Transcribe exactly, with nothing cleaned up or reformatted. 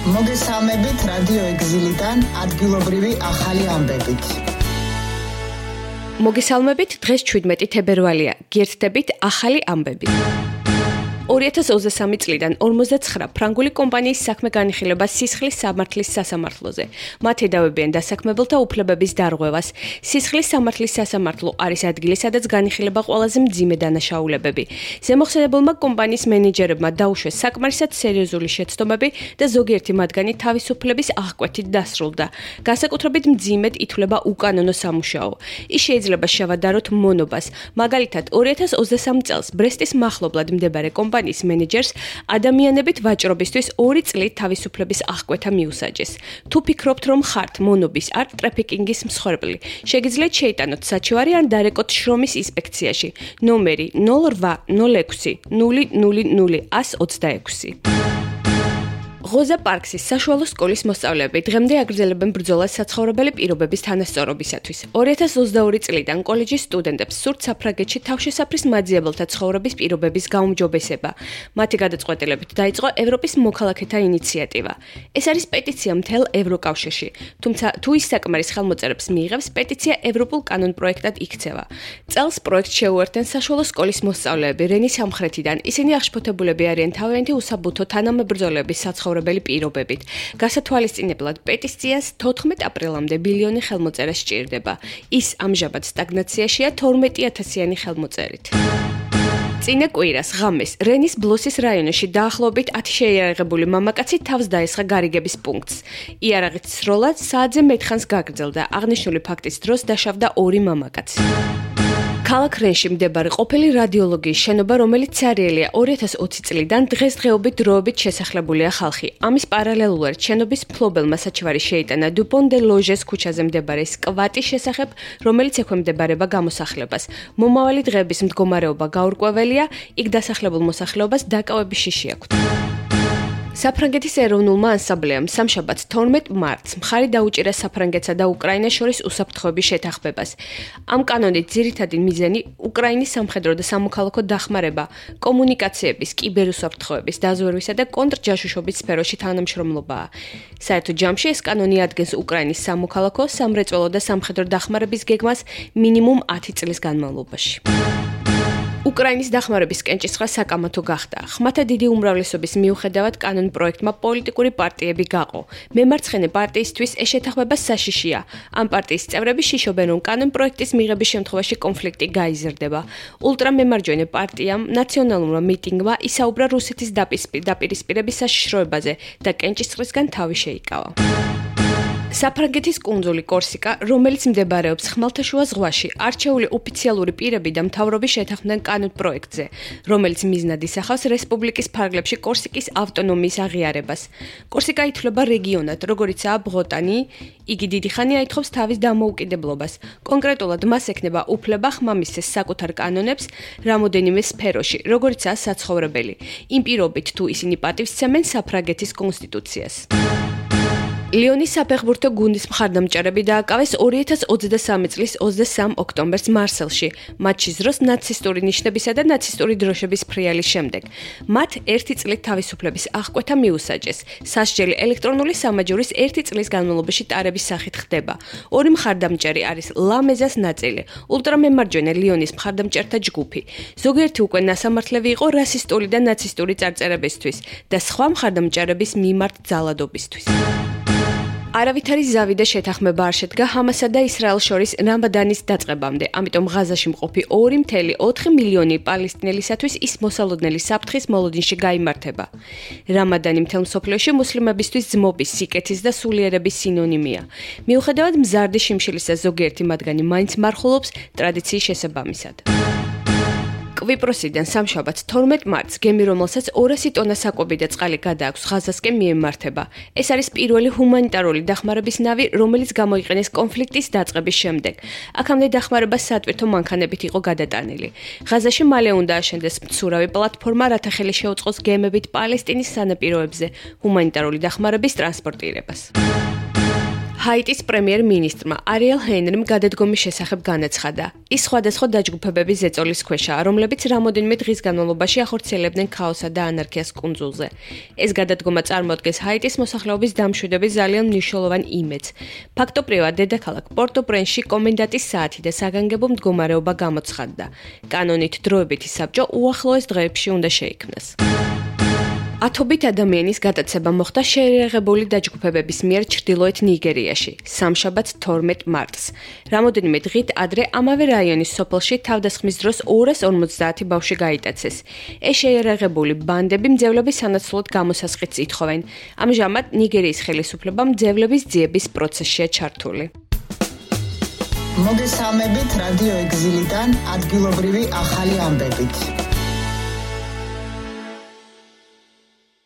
მოგესალმებით რადიო ეგზილიდან ადგილობრივი ახალი ამბებით. მოგესალმებით, დღეს ჩვიდმეტი თებერვალია. გიერთდებით ახალი ამბები. ორი ათას ოცდასამი წლიდან ორმოცდაცხრა ფრანგული კომპანიის საქმე განიხილება სისხლის სამართლის სასამართლოზე. მათ ედავებიან დასაქმებელთა უფლებების დარღვევას. სისხლის სამართლის სასამართლო არის ადგილი, სადაც განიხილება ყველაზე მძიმე დანაშაულებები. ზემოხსენებელმა კომპანიის მენეჯერებმა დაუშვეს საკმარისად სერიოზული შეცდომები და ზოგიერთი მათგანი თავისუფლების აღკვეთით დასრულდა. განსაკუთრებით მძიმედ ითვლება უკანონო სამუშაო. ის შეიძლება შევადაროთ მონობას. მაგალითად, ორი ათას ოცდასამ წელს ბრესტის მახლობლად მდებარე კომპანიის მენეჯერს ადამიანებით ვაჭრობისთვის ორი წლით თავისუფლების აღკვეთა მიუსაჯეს. თუ ფიქრობთ, რომ ხართ მონობის არ ტრაფიკინგის მსხვერპლი, შეგიძლიათ შეიტანოთ საჩივარი ან დარეკოთ შრომის ინსპექციაში. ნომერი ნულ რვა ნულ ექვსი ნული ნული ნული ათს ოცდაექვსი. ღოზა პარკსის საშუალო სკოლის მოსწავლეები დღემდე აგრძელებენ ბრძოლას საცხოვრებელი პირობების თანასწორობისათვის. ორი ათას ოცდაორი წლიდან კოლეჯის სტუდენტებს სურთ საფრანგეთში თავშესაფრის მაძიებელთა ცხოვრების პირობების გაუმჯობესება. მათი გადაწყვეტილებით დაიწყო ევროპის მოქალაქეთა ინიციატივა. ეს არის პეტიცია მთელ ევროკავშირში. თუმცა თუ ის საკმარის ხელმოწერებს მიიღებს, პეტიცია ევროპულ კანონპროექტად იქცევა. წელს პროექტს შეუერთდნენ საშუალო სკოლის მოსწავლეები რენის სამხრეთიდან. ისინი აღშფოთებულები არიან თავიანთი უსაბუთო თანამებრძოლების საცხოვრებელი პირობებით. გასათვალისწინებლად პეტიციას თოთხმეტ აპრილამდე ბილიონი ხელმოწერა სჭირდება. ის ამჟამად სტაგნაციაშია თორმეტი ათასიანი ხელმოწერით. წინა კვირას ღამეს რენის ბლოსის რაიონში დაახლოებით ათი შეიარაღებული მამაკაცი თავს დაესხა გარიგების პუნქტს. იარაღით სროლა საათზე მეტხანს გაგრძელდა. აღნიშნული ფაქტის დროს დაშავდა ორი მამაკაცი. ქალაქ რენში მდებარე ყოფილი რადიოლოგიის შენობა, რომელიც ცარიელია ორი ათას ოცი წლიდან დღესდღეობით დროებით შესახლებულია ხალხი. ამის პარალელურად შენობის მფლობელმა საჩივარი შეიტანა დუპონ დე ლოჟეს ქუჩაზე მდებარე სკვატის შესახებ, რომელიც ექვემდებარება გამოსახლებას. მომავალი დღეების მდგომარეობა გაურკვეველია, იქ დასახლებულ მოსახლეობას დაკავების შიში აქვთ. საფრანგეთის ეროვნულმა ანსამბლეამ სამშაბათს თორმეტ მარტს მხარი დაუჭირა საფრანგეთსა და უკრაინას შორის უსაფრთხოების შეთანხმებას. ამ კანონით ძირითადი მიზანი უკრაინის სამხედრო და სამოქალაქო დახმარება, კომუნიკაციების, კიბერუსაფრთხოების, დაზვერვისა და კონტრჯაშუშობის სფეროში თანამშრომლობაა. საერთო ჯამში ეს კანონი ადგენს უკრაინის სამოქალაქო, სამრეწველო და სამხედრო დახმარების გეგმას მინიმუმ ათი წლის განმავლობაში. უკრაინის დახმარების კენჭისყრა საკამათო გახდა. ხმათა დიდი უმრავლესობის მიუხედავად კანონპროექტმა პოლიტიკური პარტიები გაყო. მემარცხენე პარტიისთვის ეს შეთანხმება საშიშია. ამ პარტიის წევრები შიშობენ, რომ კანონპროექტის მიღების შემთხვევაში კონფლიქტი გაიზრდება. ულტრამემარჯვენე პარტიამ ნაციონალურმა მიტინგმა ისაუბრა რუსეთის დაპირისპირების საშიშროებაზე და კენჭისყრისგან თავი შეიკავა. საფრანგეთის კუნძული კორსიკა, რომელიც მდებარეობს ხმელთაშუა ზღვაში, არჩეული ოფიციალური პირები და მთავრობი შეთანხმდნენ კანონპროექტზე, რომელიც მიზნად ისახავს რესპუბლიკის ფარგლებში კორსიკის ავტონომიის აღიარებას. კორსიკა ითვლება რეგიონად, როგორიცაა ბრეტანი, იგი დიდი ხანი აითხოვს თავის დამოუკიდებლობას. კონკრეტულად მას ექნება უფლება ხმამისცეს საკუთარ კანონებს რამოდენიმე სფეროში, როგორიცაა საცხოვრებელი. იმ პირობით, თუ ისინი პატივსცემენ საფრანგეთის კონსტიტუციას. ლიონის საფეხბურთო გუნდის მხარდამჭერები დააკავეს ორი ათას ოცდასამი წლის ოცდასამ ოქტომბერს მარსელში, მატჩის დროს ნაცისტური ნიშნებისა და ნაცისტური დროშების ფრიალის შემდეგ. მათ ერთი წლით თავისუფლების აღკვეთა მიუსაჯეს. სასჯელი ელექტრონული სამაჯურის ერთი წლის განმავლობაში ტარების სახით ხდება. ორი მხარდამჭერი არის ლამეზას ნაწილი, ულტრამემარჯვენე ლიონის მხარდამჭერთა ჯგუფი. ზოგიერთი უკვე ნასამართლები იყო რასისტული და ნაცისტური წარწერებისთვის და სხვა მხარდამჭერების მიმართ ძალადობისთვის. არავითარი ზავი და შეთანხმება არ შედგა ჰამასსა და ისრაელს შორის რამადანის დაწყებამდე, ამიტომ ღაზაში მყოფი ორი წელი ოთხი მილიონი პალესტინელისათვის ის მოსალოდნელი საფრთხის მოლოდინში გაიმართება. რამადანი მთელ მსოფლიოში მუსლიმებისთვის ძმობის, სიკეთის და სულიერების სინონიმია. მიუხედავად მზარდი შიმშილისა, ზოგიერთი მათგანი მაინც მარხულობს ტრადიციის შესაბამისად. კვიპროსიდან სამშაბათს თორმეტ მარტს გემი, რომელსაც ორასი ტონა საკვები და წყალი გადააქვს, ღაზასკენ მიემართება. ეს არის პირველი ჰუმანიტარული დახმარების ნავი, რომელიც გამოიყენეს კონფლიქტის დაწყების შემდეგ. აქამდე დახმარება სატვირთო მანქანებით იყო გადატანილი. ღაზაში მალე უნდა აშენდეს მცურავი პლატფორმა, რათა ხელი შეუწყოს გემებით პალესტინის სანაპიროებზე ჰუმანიტარული დახმარების ტრანსპორტირებას. ჰაიტის პრემიერ-მინისტრმა არიელ ჰენრიმ გადადგომის შესახებ განაცხადა. ის სხვადასხვა დაჯგუფებების ზეწოლის ქვეშაა, რომლებიც რამოდენიმე დღის განმავლობაში ახორციელებდნენ ქაოსსა და ანარქიას კუნძულზე. ეს გადადგომა წარმოადგენს ჰაიტის მოსახლეობის დამშვიდების ძალიან მნიშვნელოვან იმედს. ფაქტობრივად, დედაქალაქ პორტო-პრენსში კომენდანტის საათი და საგანგებო მდგომარეობა გამოცხადდა. კანონით დროებითი საბჭო უახლოეს დღეებში უნდა შეიქმნას. ათობით ადამიანის გადაცემა მოხდა შეიარაღებული დაჯგუფებების მიერ ჩრდილოეთ ნიგერიაში, სამშაბათს თორმეტ მარტს. რამოდენიმე დღით ადრე ამავე რაიონის სოფელში თავდასხმის დროს ორას ორმოცდაათი ბავშვი გაიტაცეს. ეს შეიარაღებული ბანდები მძევლების სანაცვლოდ გამოსასყიდს ითხოვენ. ამჟამად ნიგერიის ხელისუფლება მძევლების ძიების პროცესშია ჩართული. მოგესალმებით რადიო ეგზილიდან ადგილობრივი ახალი ამბებით.